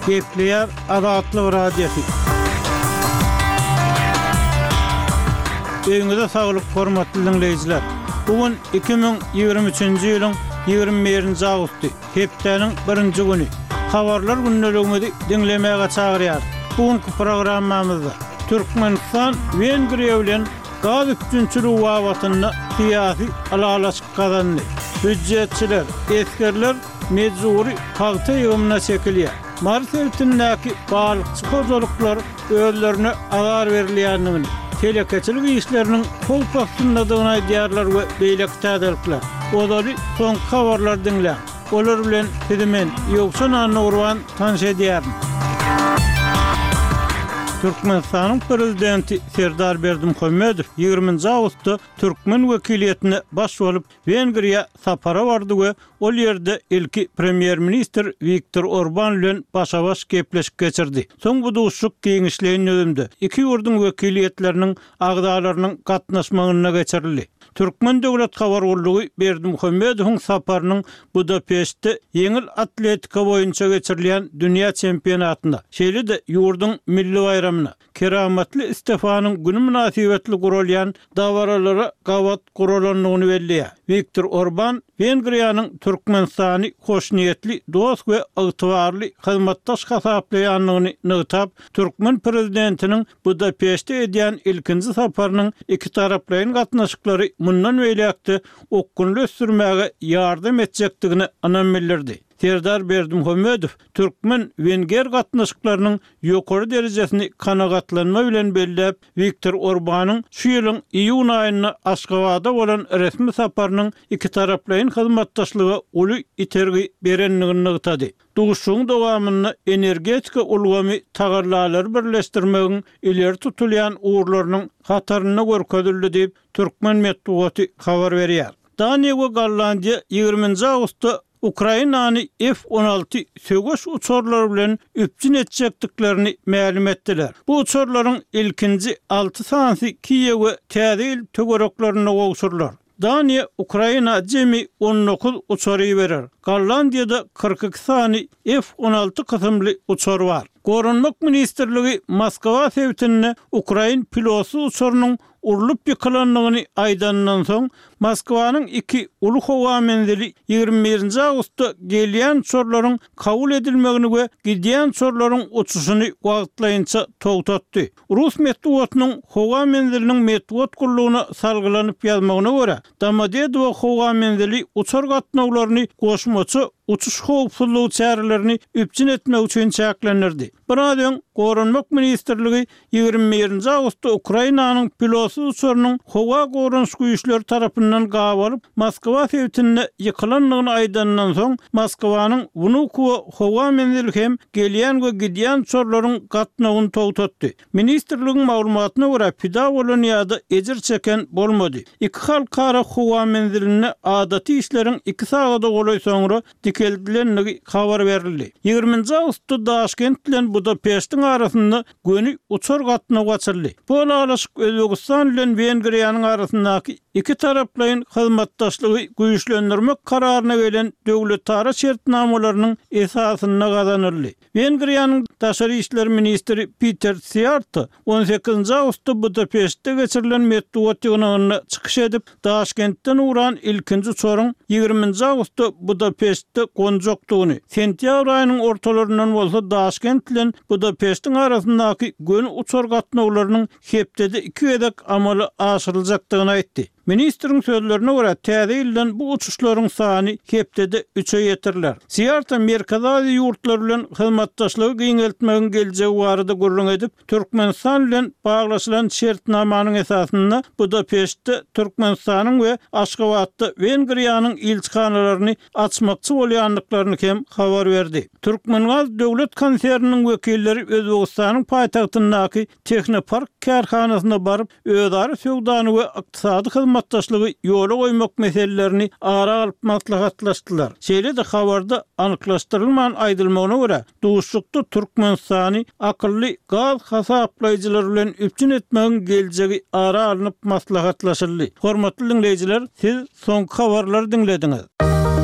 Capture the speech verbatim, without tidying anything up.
Gepleýär Azatlyk Radiosy. Öýüňize saglyk, hormatly diňleýjiler! Bu gün iki müň ýigrimi üçünji ýylyň ýigrimi birinji awgusty, hepdäniň birinji güni. Habarlar gündeligimizi diňlemäge çagyrýarys. Bu günki programmamyzda Türkmenistan Wengriýa bilen gaz üpjünçiligi babatynda syýasy ylalaşyk gazandy. Býujetçiler, esgerler mejbury pagta ýygymyna çekilýär. Mary sebitindäki balykçy hojalyklar özlerine azar berilýändigini, telekeçilik işleriniň howp astyndadygyny aýdýarlar we beýleki täzelikler. Ozaly soňky habarlary diňläň. Olar bilen sizi men, Ýowşan Annagurban tanyş edýärin. Türkmenistanyň Prezidenti Serdar Berdimuhamedow ýigriminji awgustda türkmen wekiliýetine baş bolup Wengriýa sapara bardy we ol ýerde ilki premýer-ministr Wiktor Orban bilen başa-baş gepleşik geçirdi. Soň bu duşuşyk giňişleýin düzümde, iki ýurduň wekiliýetleriniň agzalarynyň gatnaşmagynda geçirildi. Türkmen döwlet habar gullugy Berdimuhamedowyň saparynyň Budapeştde ýeňil atletika boýunça geçirilýän dünýä çempionatynda, şeýle-de ýurduň milli baýramyna, Keramatly Stefanyň güni mynasybetli guralýan dabaralara gabat guralandygyny belleýär. Wiktor Orban Wengriýanyň Türkmenistany hoşniýetli dost we ygtybarly hyzmatdaş hasaplaýandygyny nygtap, türkmen prezidentiniň Budapeşte edýän ilkinji saparynyň ikitaraplaýyn gatnaşyklary mundan beýläk-de okgunly ösdürmäge ýardam etjekdigine ynam bildirdi. Serdar Berdimuhamedow türkmen-wenger gatnaşyklarynyň ýokary derejesini kanagatlanma bilen belläp, Wiktor Orbanyň şu ýylyň iýun aýynda Aşgabada bolan resmi saparynyň ikitaraplaýyn hyzmatdaşlyga uly itergi berendigini nygtady. Duşuşygyň dowamynda energetika ulgamy tagallalary birleşdirmegiň ileri tutulýan ugurlarynyň hatarynda görkezildi diýip, türkmen metbugaty habar berýär. Daniýa we Gollandiýa ýigriminji awgustda Ukrainany F on alty söweş uçarlary bilen üpjün etjekdiklerini mälim etdiler. Bu uçarlaryň ilkinji alty sanysy Kiýewe Täze ýyl töwereklerinde gowşurylar. Daniýa Ukraina jemi on dokuz uçar iberer. Gollandiýada kyrk iki sany F on alty kysymly uçar bar. Goranmak ministrligi Moskwa sebitinde ukrain pilotsyz uçarynyň urlup ýykylandygyny aýdanyndan soň, Moskwanyň iki uly howa menzili ýigrimi birinji awgustda gelýän uçarlaryň kabul edilmegini we gidýän uçarlaryň uçuşyny wagtlaýynça togtatdy. Rus metbugatynyň howa menziliniň metbugat gullugyna salgylanyp ýazmagyna görä, Domodedowo howa menzili uçar gatnawlaryny goşmaça uçuş howpsuzlygy çärelerini üpjün etmek üçin çäklendirdi. Biraz öň Goranmak ministrligi ýigrimi birinji awgustda Ukrainanyň pilotsyz uçarynyň howa goranyş güýçleri tarapyndan gabalyp, Moskwa sebitinde ýykylandygyny aýdanyndan soň, Moskwanyň Wnukowo howa menzili hem gelýän we gidýän uçarlaryň gatnawyny togtatdy. Ministrligiň maglumatyna görä, pida bolan ýa-da ejir çeken bolmady. Iki halkara howa menzilinde adaty işleriň iki sagada golaý soňra dikeldilendigi habar berildi. Ýigriminji awgustda Daşkent bilen Budapeştiň arasynda göni uçar gatnawy açyldy. Bu ylalaşyk Özbegistan bilen Wengriýanyň arasyndaky ikitaraplaýyn hyzmatdaşlygy güýçlendirmek kararyna gelen döwletara şertnamalarynyň esasynda gazanyldy. Wengriýanyň daşary işler ministri Piter Siýarto on sekizinji awgustda Budapeştde geçirilen metbugat ýygnagynda çykyş edip, Daşkentden ugran ilkinji uçaryň ýigriminji awgustda Budapeştde gonjakdygyny, sentýabr aýynyň ortalaryndan bolsa Daşkent bilen Budapeştiň arasyndaky göni uçar gatnawlarynyň hepdede iki gezek amala aşyryljakdygyny aýtdy. Ministriň sözlerine görä, täze ýyldan bu uçuşlaryň sany hepdede üçe ýetiriler. Siýarto Merkezi Aziýa ýurtlary bilen hyzmatdaşlygy giňeltmegiň geljegi barada gürrüň edip, Türkmenistan bilen baglaşylan şertnamanyň esasynda Budapeştde Türkmenistanyň we Aşgabatda Wengriýanyň ilçihanalaryny açmakçy bolýandyklaryny hem habar berdi. Türkmengaz döwlet konserniniň wekilleri Özbegistanyň paýtagtyndaky Tehnopark kärhanasyna baryp, özara söwdany we ykdysady hyzmatdaşlygy ýola goýmak meselelerini ara alyp maslahatlaşdylar. Şeýle-de habarda anyklaşdyrylman aýdylmagyna görä, duşuşykda Türkmenistany akylly gaz hasaplaýjylary bilen üpjün etmegiň geljegi ara alnyp maslahatlaşyldy. Hormatly diňleýjiler, siz soňky habarlary diňlediňiz.